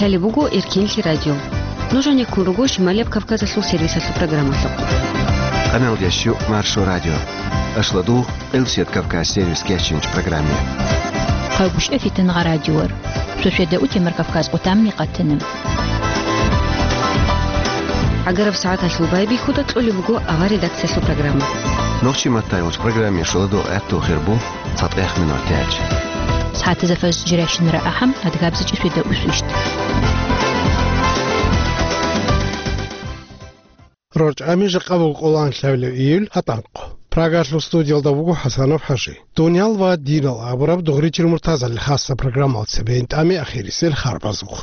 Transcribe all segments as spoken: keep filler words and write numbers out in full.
Лъалеб буго Эркенлъи радио. Нуж гьанеккун руго Шималияб Кавказалъул сервисалъул программалъухъ. Къаналдеш щу Маршо радио. Ашладу Элсет Кавказ сервис кечинч программе. Хъагушев Фитнагъа радиор. Шошеда утемар Кавказ къутамни къатана. Агараб сагӀаталъул байбихьуда кьолеб буго авар редакциялъул программа. Нохчи маттайгъуч программе шоладу гӀатту хирбу. ЦатӀехъ минуталъ. СагӀатазда фажр жирайщинара ахӀам, адгабзичӀи светаусвищ. РорчӀами жакъа буго къолан лъабилев июль гьатӀанкъо. Прагалъул студиялда вуго ХӀасанов ХӀажи. Дуниял ва динал абураб дугъричил муртазали хасса программал цебе гьитӀами ахирисел харбазухъ.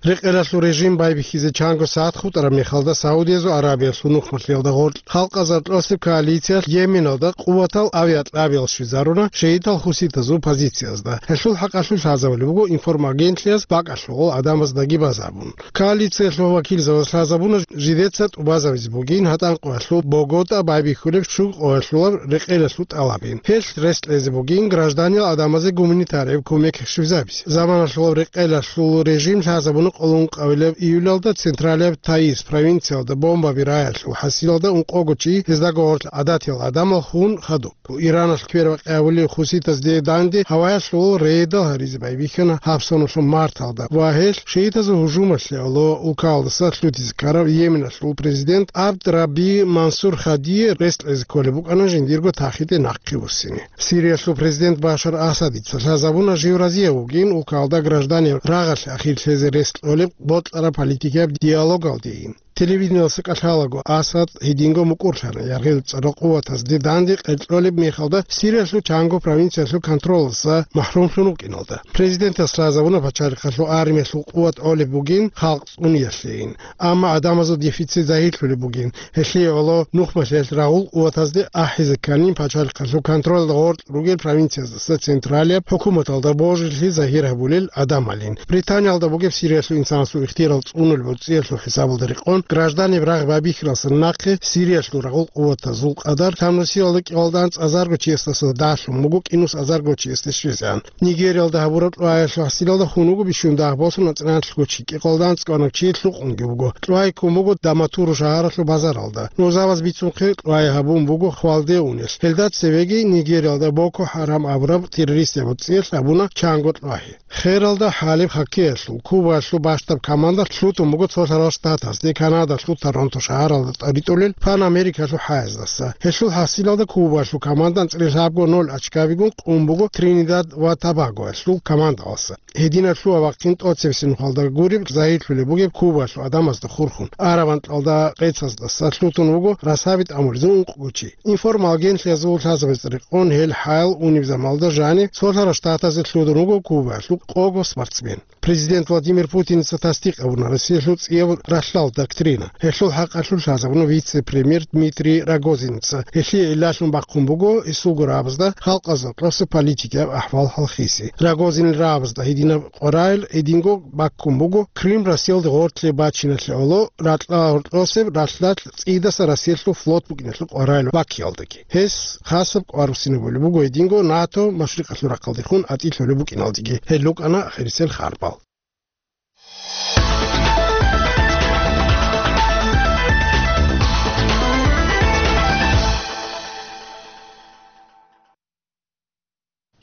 Рекъелалъул режим байбихьизе чанго сагӀат хутӀараб мехалда Саудиязул Арабиялъул нухмалъиялда гъоркь халкъазар тӀосеб коалициялъ Йеменалда къуватал авиакьабиял щвезаруна шиитал хуситазул позициязда. Гьелъул хӀакъалъулъ лъазабулеб буго информагентлъиялъ бакӀалъулгъул гӀадамаздаги базабун. Коалициялъул вакилзабаз лъазабуна жидеца тӀубазабизе бугин гьатӀанкъоялъул Богота байбихьулеб щуго къоялъулаб рекъелалъул тӀалабин. Гьелъ рес кьезе бугин гражданиял гӀадамазе гуманитарияб кумек щвезабизе. Заманалъулаб рекъелалъул режим лъазабуна къоло ункъабилеб июлалда централияб Таиз провинциялда бомбаби раялъул хӀасилалда ункъого чи, гьездаго гъорлъ гӀадатиял гӀадамал, хун хадуб. Иранас квербакъи гьабулев хуситазде данде гьаваялъул рейдал гьаризе байбихьана гьаб соналъул марталда ва гьелъ шиитазул гьужумалъе гӀоло улкалдаса лъутизе ккарав Йеменалъул президент Абд Рабби Мансур Хадие рес кьезе кколеб букӀана жиндирго тахиде нахъе вуссине. Сириялъул президент Башар Асадица лъазабуна жив разияб вугин улкалда гражданиял рагъалъе ахир лъезе рес кьолеб бокьараб политикияб диалогалдейин. Телевидениялъа кӀалъалаго, Асад гьединго мукӀурлъана яргъил цӀарал къуватазде данде къеркьолеб мехалда Сириялъул чанго провинциялъул контролалдаса махрумлъун вукӀиналда. Президентас лъазабуна пачалихъалъул армиялъул къуват гӀолеб бугин халкъ цӀуниялъейин, амма гӀадамазул дефицит загьирлъулеб бугин, гьелъие гӀоло нухмалъиялъ рагъул къуватазде ахӀизе кканин пачалихъалъул контролалда гъоркь ругел провинцияздаса централияб хӀукуматалда божилъи загьир гьабулел гӀадамалин. Британиялда бугеб Сириялъул инсанасул ихтияр цӀунулеб гӀурцӀиялъул хӀисабалда рекъон, гражданиял рагъ байбихьаралдаса нахъе Сириялъул рагъул къуватазул къадар тамнусиялда кӀикъоялда анцӀазарго чиясдаса дагьлъун буго кӀинусазарго чиясде щвезегӀан. Нигериялда гьабураб кьваялъул хӀасилалда хун вуго бищун дагь босун анцӀила анлъго чи, кӀикъоялда анцӀго анав чи лъукъунги вуго. Кьвай ккун буго Даматуру шагьаралъул базаралда. Нузабаз бицунхъе кьвай гьабун буго хвалде унелъ. Гьелда цевеги Нигериялда Боко Харам абураб террористияб гӀурцӀиялъ гьабуна чанго кьвай. Хералда хӀалеб хоккеялъул Кубаялъул бащдаб команда лъутун буго Цолъарал Штатазде Канадалъул Торонто шагьаралда тӀадитӀулел Пан-Америкалъул хӀаяздаса. Гьелъул хӀасилалда Кубаялъул команда анцӀила лъабго ноль очкабигун къун буго Тринидад ва Тобагоялъул командалдаса. Гьединаб лъугьа-вахъин тӀоцебесеб нухалда гуреб загьирлъулеб бугеб Кубаялъул гӀадамазда хурхун. Араб анкьалда къецаздаса лъутун вуго расаби тӀамулезул ункъго чи. Информагентлъиязул лъазабазда рекъон, гьел хӀаял унеб замалда жанив Цолъарал Штатазе лъугьун вуго Кубаялъул къого спортсмен. Президент Владимир Путиница тасдикъ гьабуна Россиялъул цӀияб ралъдал доктрина. Гьелъул хӀакъалъулъ лъазабуна вице-премьер Дмитрий Рогозинца. Гьелъие гӀиллалъун бахъун буго исулго рагӀабазда халкъазда кьоса политикияб ахӀвал хӀалхиси. Рогозинил рагӀабазда гьединаб къваригӀел гьединго баккун буго Крым Россиялде гъоркье бачиналъе гӀоло ракьа гьоркьосеб ралъдалъ цӀидаса Россиялъул флот букӀиналъул къваригӀел баккиялдаги. Гьес хасаб кӀвар буссинабулеб буго гьединго НАТО машрикъалъул рахъалдехун атӀилъулеб букӀиналдеги. Гьел рукӀана ахирисел харбал.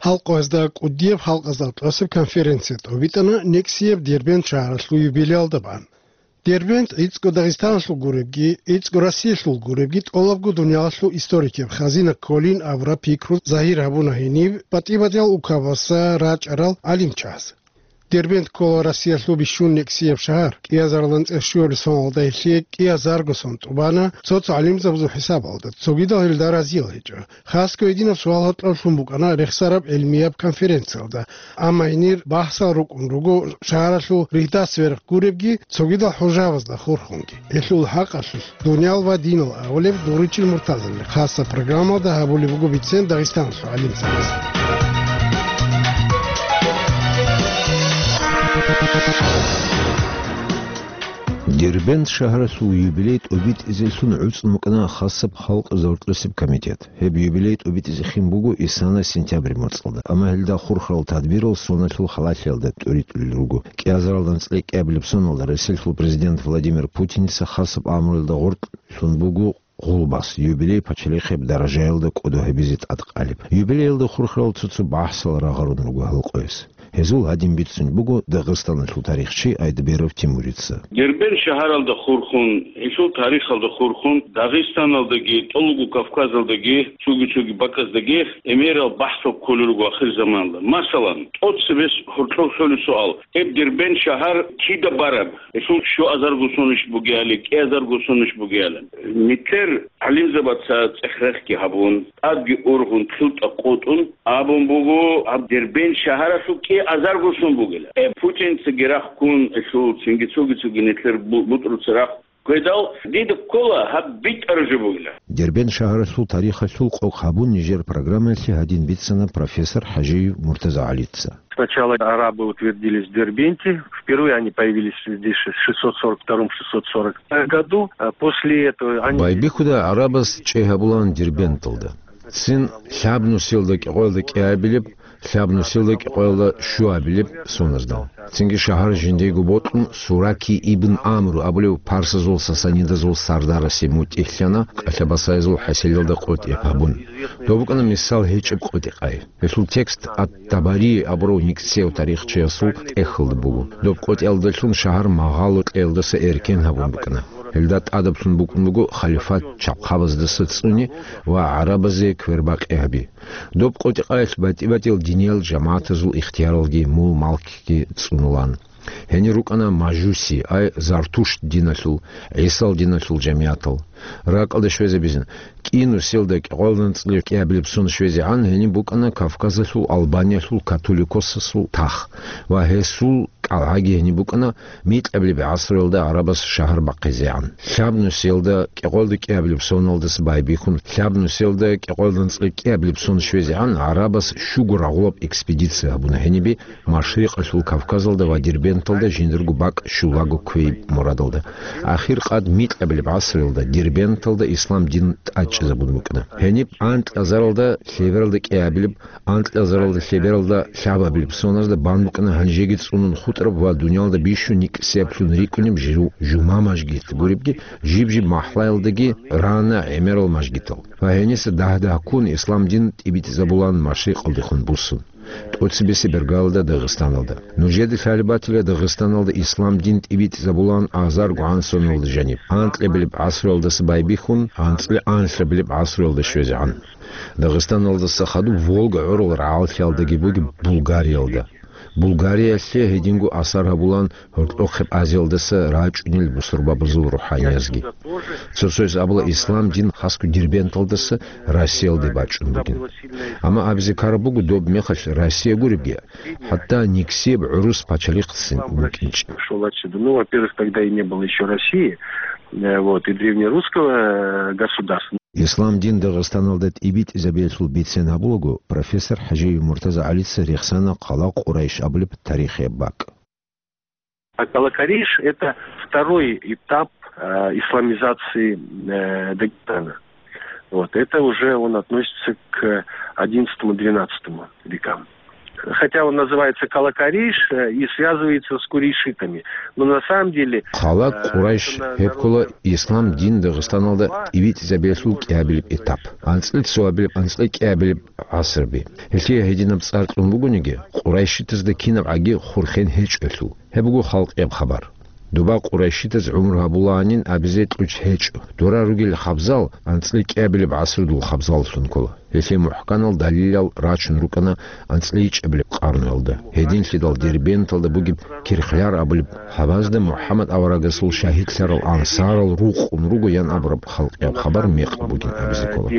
Гьалкъоязда кӀудияб халкъазда кьосеб конференция тӀобитӀана нексияб Дербент шагьаралъул юбилеялда бан. Дербент гӀицӀго Дагъистаналъул гуребги, гӀицӀго Россиялъул гуребги тӀолабго дуниялалъул историкияв хазина кколин абураб пикру загьир гьабуна гьениб ПатӀибадиял укабаса рачӀарал гӀалимчияз. Дербент ккола Россиялъул бищун нексияб шагьар. КӀиазарилан цӀерщуялъул соналда гьелъие кӀиазарго сон тӀубана, цо-цо гӀалимзабазул хӀисабалда, цогидал гьелда разиял гьечӀо. Хасго гьединаб суал гьоркьоблъун букӀана рехсараб гӀилмияб конференциялда. Амма гьенир бахсал рукӀун руго шагьаралъул ригьдас верх гуребги, цогидал хӀужабазда хурхунги. Гьелъул хӀакъалъулъ дуниял ва динал абулеб дугъричил муртазаби хасаб программалда гьабулеб буго бицен Дагъистаналъул гӀалимзабаз. Дербент шагьаралъул юбилей тӀобитӀизелъун гӀуцӀун букӀана хасаб халкъ зоркьосеб комитет. Гьеб юбилей тӀобитӀизе хин буго исана сентябрь моцӀалда, амма гьелда хурхарал тадбирал соналъул халалъиялда тӀуритӀулел руго. КӀиазаралда анцӀила кӀиабилеб соналда Россиялъул президент Владимир Путиница хасаб амруялда гъоркь лъун буго гъулбас, юбилей пачалихъеб даражаялда кӀодо гьабизе тӀадкъалеб. Юбилеялда хурхарал цо-цо бахӀсал рагъарун руго гьал къояс. Гьезул гьадин бицун буго Дагъистаналъул тарихчи Айдберов Тимурица. Дербент шагьаралда хурхун, гьелъул тарихалда хурхун, Дагъистаналдаги, тӀолго Кавказалдаги, цоги-цоги бакӀаздаги гӀемерал бахӀсал кколел руго ахирзаманалда. Масалан, тӀоцебесеб гьоркьоб лъолеб суал: гьеб Дербент шагьар кида бараб? Гьелъул щуазарго сонищ бугеали, кӀиазарго сонищ бугеали? Нилъер гӀалимзабаца цӀех-рехги гьабун, тӀадги ургъун, кьутӀа къотӀун абун буго, гьаб Дербент шагьаралъул кӀиазарго сон бугила. Э, Путинцаги рахкун, гьелъул цинги цоги-цоги нилъер бу-, бутӀруца рахкун. Гьедал дида ккола гьаб битӀараб жо бугила. Дербент шагьаралъул тарихалъул къокъ гьабун нижер программаялъе гьадин бицана профессор ХӀажиев Муртаза ГӀалица. Сначала арабы утвердились в Дербенте. Впервые они появились здесь в шестьсот сорок втором — шестьсот сорок году. А после этого они... Байбихьуда гӀарабаз чӀей гьабулаан Дербенталда. Цин лъабнусиялда кӀикъоялда кӀиабилеб, лъабнусиялда кӀикъоялда щуабилеб соназда. Цинги шагьар жиндего бокьун, Сураки ибн Амру абулев парсазул сасанидазул сардарасе мутӀигьлъана, кӀалъабасаязул хӀасилалда къотӀи гьабун. Доб букӀана мисал гьечӀеб къотӀи-къай. Гьелъул текст Ат-Табари абурав нигсев тарихчиясул тӀехьалда буго. Доб къотӀиялдалъун шагьар магъало кьеялдаса эркен гьабун букӀана. Гьелда тӀадаблъун букӀун буго халифат чахъабаздаса цӀуни ва гӀарабазе квербакъи гьаби. Доб къотӀи-къаялъ батӀи-батӀиял диниял жамагӀатазул ихтияралги мул-малкги цӀунулан. Гьенир рукӀана мажуси, ай Зартушт диналъул, ГӀисал диналъул жамигӀатал. РакӀалда щвезабизин, кӀинусиялда кӀикъоялда анцӀила кӀиабилеб сон щвезегӀан гьениб букӀана Кавказалъул Албаниялъул католикосасул тах ва гьесул кӀалгӀаги гьениб букӀана микьабилеб гӀасруялда гӀарабаз шагьар бахъизегӀан. Лъабнусиялда кӀикъоялда кӀиабилеб соналдаса байбихьун, лъабнусиялда кӀикъоялда анцӀила кӀиабилеб сон щвезегӀан гӀарабаз щуго рагъулаб экспедиция гьабуна гьениби Машрикъалъул Кавказалда ва Дербенталда жиндирго бакӀ щулаго кквей мурадалда. Ахир къад микьабилеб гӀасруялда Дербенталда ислам дин тӀадчӀезабун букӀана. Гьениб анкьазаралда лъебералда кӀиабилеб, анкьазаралда лъебералда лъабабилеб соназда бан букӀана гьанжеги цӀунун хутӀараб ва дуниялда бищун никӀсиблъун рикӀкӀунеб жу-, жума мажгит гуребги, жиб-жиб махӀлаялдаги рана гӀемерал мажгитал. Ва гьениса дагь-дагьккун ислам дин тӀибитӀизабулан Машрикъалдехун буссун. ТӀоцебесеб бергалда Дагъистаналда. Нужеда лъалеб батила Дагъистаналда ислам дин тӀибитӀизабулан азар гугӀан соналда жаниб, анкьабилеб гӀасруялдаса байбихьун, анцӀила анлъабилеб гӀасруялда щвезегӀан. Дагъистаналдаса хадуб Волга гӀурал рагӀаллъиялдаги бугеб Булгариялда. Булгариялъе гьединго асар гьабулан гьоркьохъеб Азиялдаса рачӀунел бусурбабазул рухӀаниязги. Цо-цояс абула ислам дин хасго Дербенталдаса Россиялде бачӀун бугин. Амма абизе ккараб буго, доб мехалъ Россия гуребги, хӀатта никсияб гӀурус пачалихъцин букӀинчӀеб. Шел отсюда. Ну, во-первых, тогда и не было еще России, э, вот, и древнерусского, э, государства. Ислам дин Дагъистаналда тӀибитӀизабиялъул бицен гьабулаго, профессор ХӀажиев Муртаза ГӀалица рехсана хъала Къурайш абулеб тарихияб бакӀ. А Калакариш — это второй этап, э, исламизации, э, Дагестана. Вот. Это уже он относится к одиннадцатому-двенадцатому векам. Хотя он называется Калакариш, э, и связывается с курейшитами. Но на самом деле, хъала э, Къурайш это на-, гьеб ккола народ, ислам дин Дагъистаналда тӀибитӀизабиялъул кӀиабилеб этап. АнцӀила цоабилеб, анцӀила кӀиабилеб гӀасрби. Гьелъие гьединаб цӀар кьун бугониги, къурайшитазда кинаб гӀаги хурхен гьечӀолъул. Гьеб буго халкъияб хабар. Доба къурайшитаз гӀумру гьабулаанин абизе кьучӀ гьечӀо. Дора ругел хабзал анцӀила кӀиабилеб гӀасрудул хабзаллъун ккола. Гьелъие мухӀканал далилал рачун рукӀана анцӀила ичӀабилеб къарнуялда. Гьединлъидал Дербенталда бугеб Кирхляр абулеб хабазда МухӀаммад аварагасул шагьидлъарал ансарал рукъун руго ян абураб халкъияб хабар мекъ бугин абизе ккола.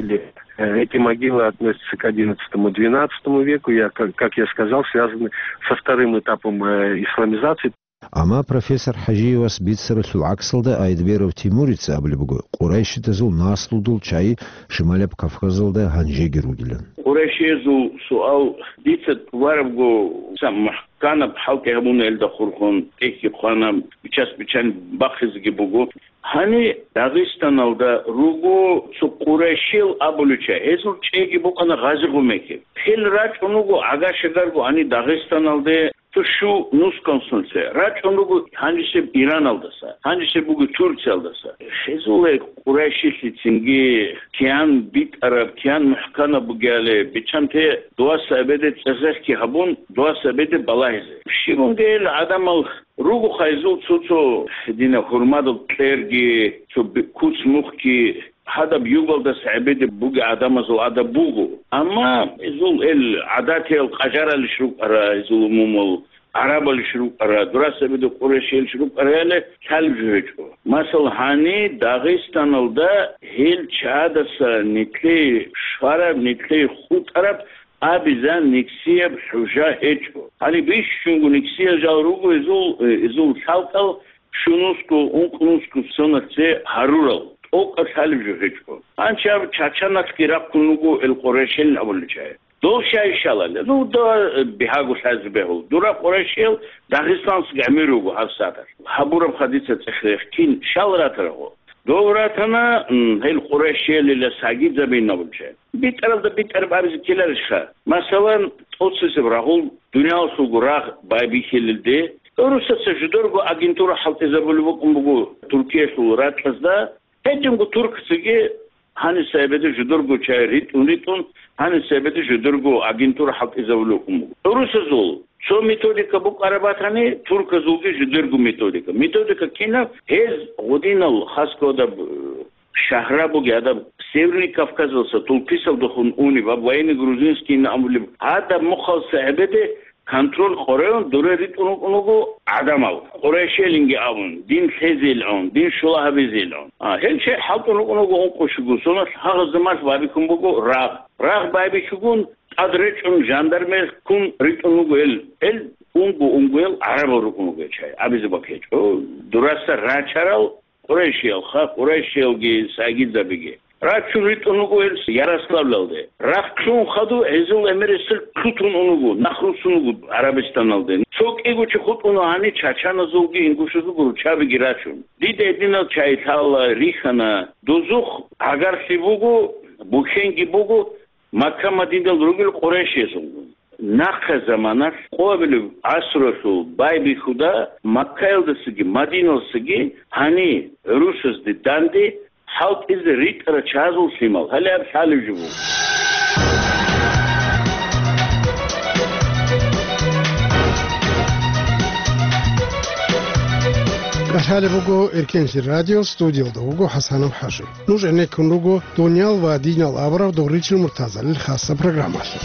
Э, эти могилы относятся к одиннадцатому-двенадцатому веку, я, как, как я сказал, связаны со вторым этапом, э, исламизации. Амма профессор ХӀажиевас бицаралъул гӀаксалда Айдберов Тимурица абулеб буго, къурайшидазул наслудул чагӀи Шималаб Кавказалда гьанжеги ругилан. Къурайшиязул суал дица варабго, са мухӀканаб хӀалтӀи гьабуна, элда хурхун тӀехьги хъвана, бичас-бичан бахъизеги буго. Гьани Дагъистаналда руго цо къурайшел абулича, гьезул чӀеги букӀана гъази-гъумекиб. Хел рачӀун вуго гӀага-шагарго гьани Дагъистаналде цо щу нускан сунлъе. РачӀун вуго гьанжесеб Ираналдаса, гьанжесеб буго Турциялдаса. Гьезул гьей къурайшилъи цинги киян битӀараб, киян мухӀканаб бугеали, биччанте дуаса эбеде цӀезехъги гьабун, дуаса эбеде балагьизе. Щибунги гьел гӀадамал Руго хайзул цо-цо дина гьурмадул кьерги, цо би-, куц-мухъги, гьадаб югалдаса гӀебеде буги гӀадамазул адаб буго. Амма изул эл гӀадатиял къажаралищ рукӀара, изул умумул гӀарабалищ рукӀара, дурас гӀебеде къурайшиялищ рукӀараяли лъалеб жо гьечӀо. Масал, гьани Дагъистаналда гьел чадаса нитлъей швараб, нитлъей хутӀараб абизан никсияб хӀужа гьечӀо. Гьале бищунго никсиял жал руго изул, э, изул лъалкӀал щунусго, ункънусго соналъе гьарурал, тӀокӀаб лъалеб жо гьечӀо. Гьанчаб чачаналъги рахъун руго эл къурайшел абулел чагӀи. Дол щай щалале? Ну, да, э, бигьаго лъазе бегьул. Дура къурайшел Дагъистаналъ гӀемер руго гьабсагӀаталъ. Гьабураб хадиса цӀехрех кин щал ратарагъо? Дов ратана, м, гьел къурайшиялила сагидзабин абулчи. БитӀаралда битӀараб абизе ккеларищха? Масалан, тӀоцесеб рагъул дуниялалъулго рагъ байбихьилелде, гӀурусаца жидерго агентура хӀалтӀизабулеб букӀун буго Туркиялъул ракьазда, гьединго туркцаги гьаниса эбеде жидерго чагӀи ритӀун-ритӀун, гьаниса эбеде жидерго агентура хӀалтӀизабулеб букӀун буго. ГӀурусазул цо методика букӀараб батани, турказулги жидерго методика. Методика кинаб? Гьез гъудинал хасго гьадаб, э, шагьра буги гьадаб Северный Кавказалса тулписалдехун унеб, аб военный грузинский ин абулеб, гьадаб мухъалса гӀебеде контроль къоревун дуре ритӀун рукӀун руго гӀадамал. Къурайшелинги абун, дин лъезейилгӀун, дин щула гьабизейилгӀун. А, гьел чагӀи хӀалтӀун рукӀун руго ункъо щуго соналъ, гьагъазда малъ байбихьун буго рагъ. Рагъ байбихьугун, тӀад речӀун жандармер ккун ритӀун вуго эл, эл унго-унгоял гӀарабал рукӀун вуго чай, абизе бакӀ гьечӀо. Дураса рачарал къурайшиялха, къурайшиялги сагидзабиги. Рачун ритӀун вуго эл Ярославлалде. Рахълъун хадув гьезул эмерисел лъутун ун вуго, нахрусун вуго ГӀарабистаналде. Цо кӀиго чи хутӀуна гьани чачаназулги ингушазулги руччабиги рачун. Дида гьединал чай лъала, рихьана, дозухъ гӀагарлъи буго, бухьенги буго, Макка-Мадинал ругел къурайшиясул. Нахъа заманалъ къоабилеб гӀасралъул байбихьуда Маккаялдасаги Мадиналсаги гьани гӀурусазде данде хӀалтӀизе ритӀарал чагӀазул лъимал. Гьале аб лъалеб жо буго. КӀалъалеб буго Эркенлъи радио, студиялда вуго ХӀасанов ХӀажи. Нуж гӀенеккун руго дуниял ва динал абураб догъричил муртазарил хасаб программалъе.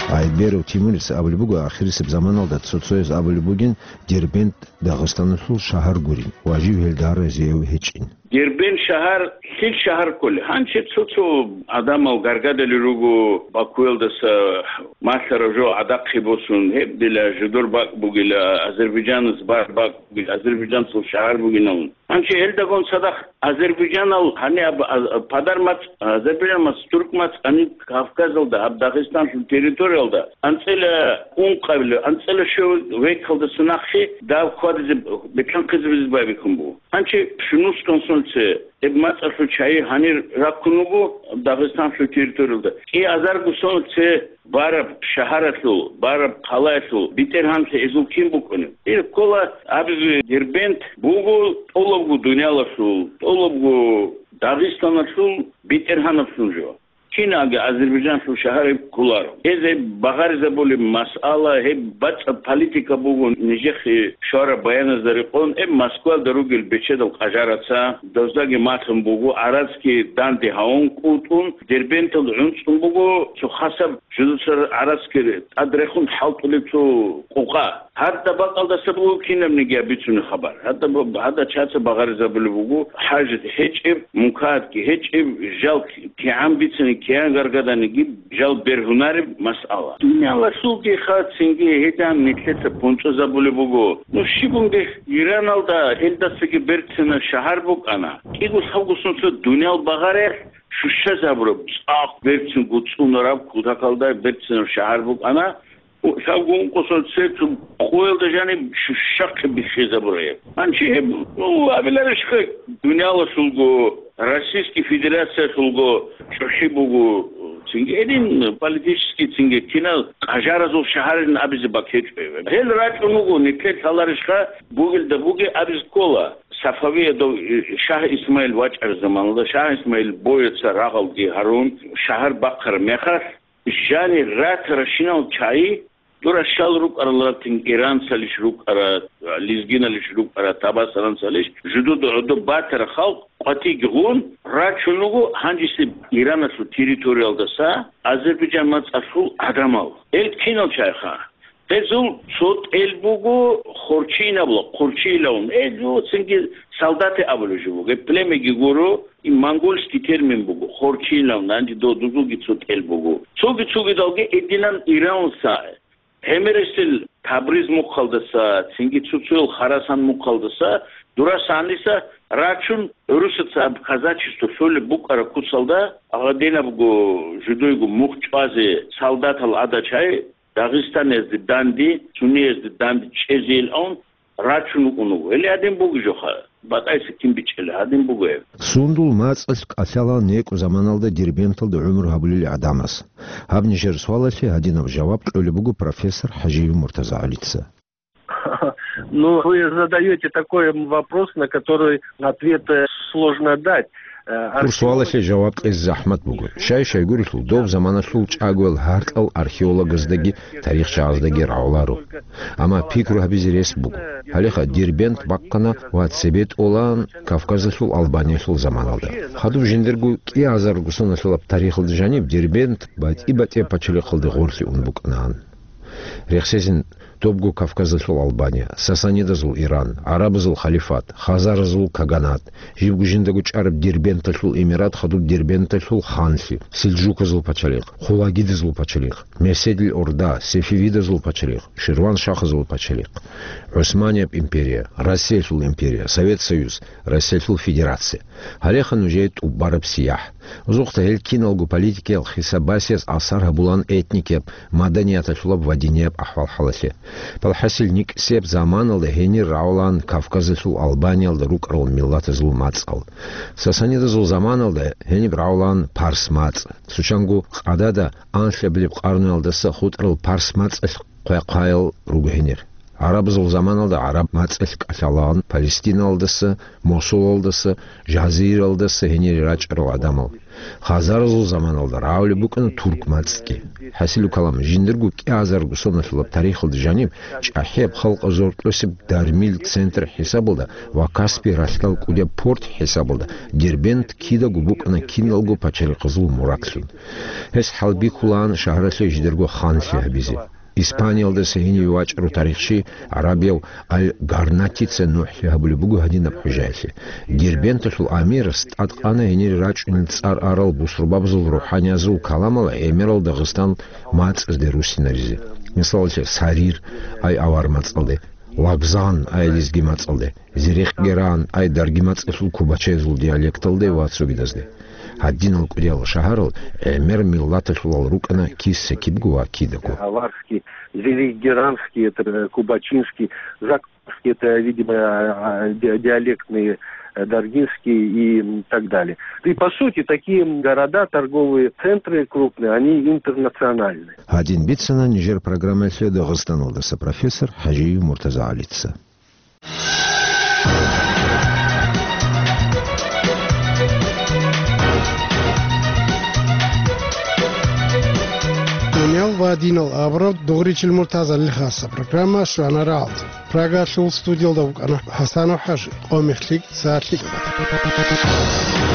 Айберов Тимурица абулеб буго, ахирисеб заманалда цо-цояз абулеб бугин, Дербент Дагъистаналъул шагьар гурин ва жив гьелда разияв гьечӀин. Дербент шагьар лъил шагьар кколеб? Гьанже цо-цо адамал гаргадали руго Бакуялдаса малъараб жо гӀадахъе босун, гьеб дила жидер бакӀ бугила, Азербайджанас бар бакӀ бугила, Азербайджанцул шагьар бугилан. Гьанже гьелдагун цадахъ Азербайджанал гьаниб а-, а-, Падар мацӀ, Азербайджан мацӀ, Турк мацӀ гьаниб Кавказалда, гьаб Дагъистанлъул территориялда анцӀила ункъабилеб, анцӀила щуабилеб векалдаса нахъе дагь хьвадизе, бетӀер хъизабизе байбихьун буго. Гьанже щунусго соналъе гьеб мацӀалъул чагӀи гьанир рахъун вуго Дагъистанлъул территориялда. КӀиазар соналъе бараб шагьаралъул, бараб хъалаялъул бетӀергьанлъи гьезул кин букӀунеб? Гьеб ккола абизе, Дербент буго тӀолабго дуниялалъул, тӀолабго Дагъистаналъул бетӀергьанаблъун жо. Киналги Азербайджанлъул шагьар гьеб кколаро. Гьез гьеб багъаризабулеб масъала, гьеб бацӀцӀад политика буго нижехъе щвараб баяназда рекъон, гьеб Москваялда ругел бечедал къажараца, доздаги малъун буго, гӀарацги данде гьавун кӀутӀун, Дербенталда гӀунцӀун буго, цо хасаб жудуцар гӀарацги тӀадрехун хӀалтӀулеб цо къукъа. Гьадаб бакӀалдаса буго кинабниги абицунеб хабар. Гьадаб, гьадаб чаца багъаризабулеб буго, хӀажат гьечӀеб, мункаратги гьечӀеб, жал кигӀан бицани, кигӀан гаргаданиги жал бергьунареб масъала. Дуниялалъулги ха цинги гьедин нилъеца бонцӀозабулеб буго. Ну, щибунги Ираналда гьелдасаги берцинаб шагьар букӀана. КӀиго-лъабго сунца дуниял багъариялъ щущазабураб, цӀакъ берцинго цӀунараб, кутакалда берцинаб шагьар букӀана. Лъабго ункъо сунца цо къоялда жаниб щущахъе биххизабураб. Гьанже гьеб, ну, абиларищха, дуниялалъулго, Российский Федерациялъулго чӀухӀи буго, цинги гьедин политический, цинги кинал къажаразул шагьарилан абизе бакӀ гьечӀо гьеб. Гьел рачӀун вуго, нилъер лъаларищха, бугелда бугеб абизе ккола. Сафавиядав, э, Шагь Исмаил вачӀараб заманалда, Шагь Исмаил бояца рагъалги гьарун, шагьар бахъараб мехалъ, жанир ратаращинал чагӀи, дура щал рукӀарал ратин, иранцалищ рукӀара, лезгиналищ рукӀара, табасаранцалищ, жудуда гӀодоб батара халкъ къватӀиги гъун, рачун вуго гьанжеси Ираналъул территориялдаса Азербайджан мацӀалъул гӀадамал. Гьел кинал чагӀиха? Гьезул цо тӀел буго Хорчинабла, Хорчилавун. Гьезул цинги солдаты абулеб жо буго. Гьеб племяги гуро, и монгольский термин буго, Хорчилавун, гьанже додузулги цо тӀел буго. Цоги цогидалги гьединан Иранса, гӀемерисел Табриз мухъалдаса, цинги цо-цоял Харасан мухъалдаса, дурасаниса рачун, гӀурусаца аб казачество лъолеб букӀараб куцалда, гьадинабго жудойго мухъ чӀвазе солдатал гӀадачай, Дагъистаниязде данде, сунеязде данде чӀезейилан рачун вукӀун вуго. Гьеле гьадин бугеб жоха, батӀайса кин бичӀчӀила, гьадин буго гьеб. Сундул мацӀалъ кӀалъала некӀо заманалда Дербенталда гӀумру гьабулел гӀадамас? Гьаб нижер суалалъе гьадинаб жаваб кьолеб буго профессор ХӀажиев МуртазагӀалица. Ну, вы задаёте такой вопрос, на который ответ, э, сложно дать. Э, Гьаб суалалъе жаваб кьезе захӀмат буго. Щай-щайгурелъул доб заманалъул чӀагоял гьаркьал археологаздаги тарихчагӀаздаги рагӀуларо. Амма пикру гьабизе рес буго. Гьалеха Дербент бахъана ва цебе тӀолаан Кавказалъул Албаниялъул заманалда. Хадуб жиндирго кӀиазарго соналъулаб тарихалда жаниб Дербент батӀи-батӀияб пачалихъалде гъорлъе ун букӀанаан. Рехсезин, добго Кавказалъул Албания, сасанидазул Иран, гӀарабазул халифат, хазаразул каганат, жибго жиндаго чӀараб Дербенталъул эмират хадуб Дербенталъул ханлъи, сельджуказул пачалихъ, хулагидазул пачалихъ, Мерседил Орда, сефевидазул пачалихъ, ширваншахазул пачалихъ, ГӀусманияб империя, Россиялъул империя, Совет Союз, Россиялъул Федерация. Гьалеха нужее тӀубараб сияхӀ. Озухъа гьел киналго политикиял хисаб-басияс асар гьабулаан этникияб, маданияталъулаб ва динияб ахӀвал-хӀалалъе. Балхасил, никӀсияб заманалда гьенир рагӀулаан Кавказалъул Албаниялда рукӀарал миллатазул мацӀал. Сасанидазул заманалда гьениб рагӀулаан парс мацӀ. Цо чанго къадада анлъабилеб къарнуялдаса хутӀарал парс мацӀалъ хъвай-хъваял руго гьенир. ГӀарабазул заманалда гӀараб мацӀалъ кӀалъалаан Палестиналдаса, Мосулалдаса, Жазиралдаса гьенире рачӀарал гӀадамал. Хазаразул заманалда рагӀулеб букӀана турк мацӀги. ХӀасилу калам, жиндирго кӀиазарго соналъулаб тарихалда жаниб, чӀахӀияб халкъ зоркьосеб дармил центр хӀисабалда ва Каспий ралъдал кӀудияб порт хӀисабалда Дербент кидаго букӀана киналго пачалихъазул мурадлъун. Гьес хӀалбихьулаан шагьаралъе жидерго ханлъи гьабизе. Испаниялдаса гьениве вачӀарав тарихчи гӀарабияв Аль-Гарнатица нухӀлъи гьабулеб буго гьадинаб хӀужаялъе: Дербенталъул амирас тӀадкъана гьенире рачӀунел цӀар арал бусурбабазул рухӀаниязул каламал гӀемерал Дагъистан мацӀазде руссинаризе. Мисалалъе, Сарир, ай авар мацӀалде, Лагъзан, ай лезги мацӀалде, Зирехгеран, ай дарги мацӀалъул кубачаязул диалекталде ва цогидазде. Гьадинал кӀудиял шагьарал гӀемер миллаталъулал рукӀана киса-кибго ва кидаго. Аварский, зирехгеранский, это, э, кубачинский, закарский, это, видимо, а, а, ди-, диалектные, э, даргинский и, м, так далее. И, по сути, такие города, торговые центры крупные, они интернациональные. Гьадин бицана нижер программалъе Дагъистаналдаса профессор ХӀажиев МуртазагӀалица. ва динал абураб дугъричил муртазалил хасаб программа щвана рагӀалде. Прагалъул студиялда вукӀана ХӀасанов ХӀажи, къо-мех лъикӀ, сагӀат лъикӀаб.